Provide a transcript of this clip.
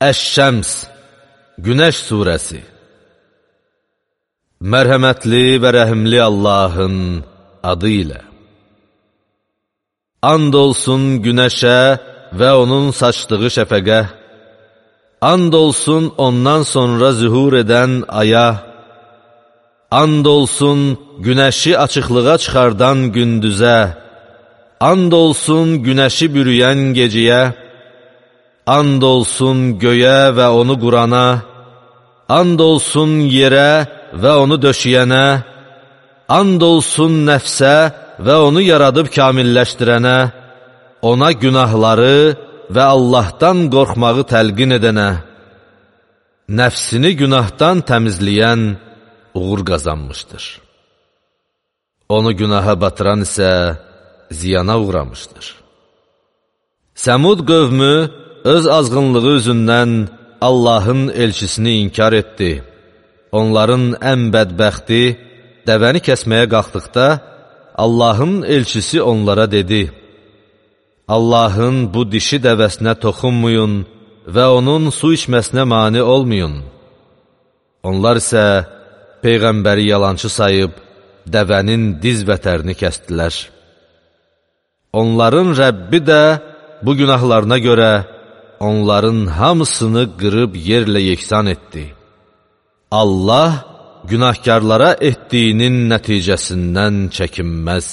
Əş-Şəms, Günəş surəsi. Mərhəmətli və rəhimli Allahın adı ilə. And olsun günəşə və onun saçdığı şəfəqə, and olsun ondan sonra zühur edən aya, and olsun günəşi açıqlığa çıxardan gündüzə, and olsun günəşi bürüyən gecəyə, and olsun göyə və onu qurana, and olsun yerə və onu döşəyənə, and olsun nəfsə və onu yaradıb kamilləşdirənə, ona günahları və Allahdan qorxmağı təlqin edənə, nəfsini günahdan təmizləyən uğur qazanmışdır. Onu günaha batıran isə ziyana uğramışdır. Səmud qövmü öz azğınlığı üzündən Allahın elçisini inkar etdi. Onların ən bədbəxti dəvəni kəsməyə qalxdıqda, Allahın elçisi onlara dedi: Allahın bu dişi dəvəsinə toxunmayın və onun su içməsinə mane olmayın. Onlar isə Peyğəmbəri yalançı sayıb, dəvənin diz vətərini kəsdilər. Onların Rəbbi də bu günahlarına görə onların hamısını qırıb yerlə yeksan etdi. Allah günahkarlara etdiyinin nəticəsindən çəkinməz.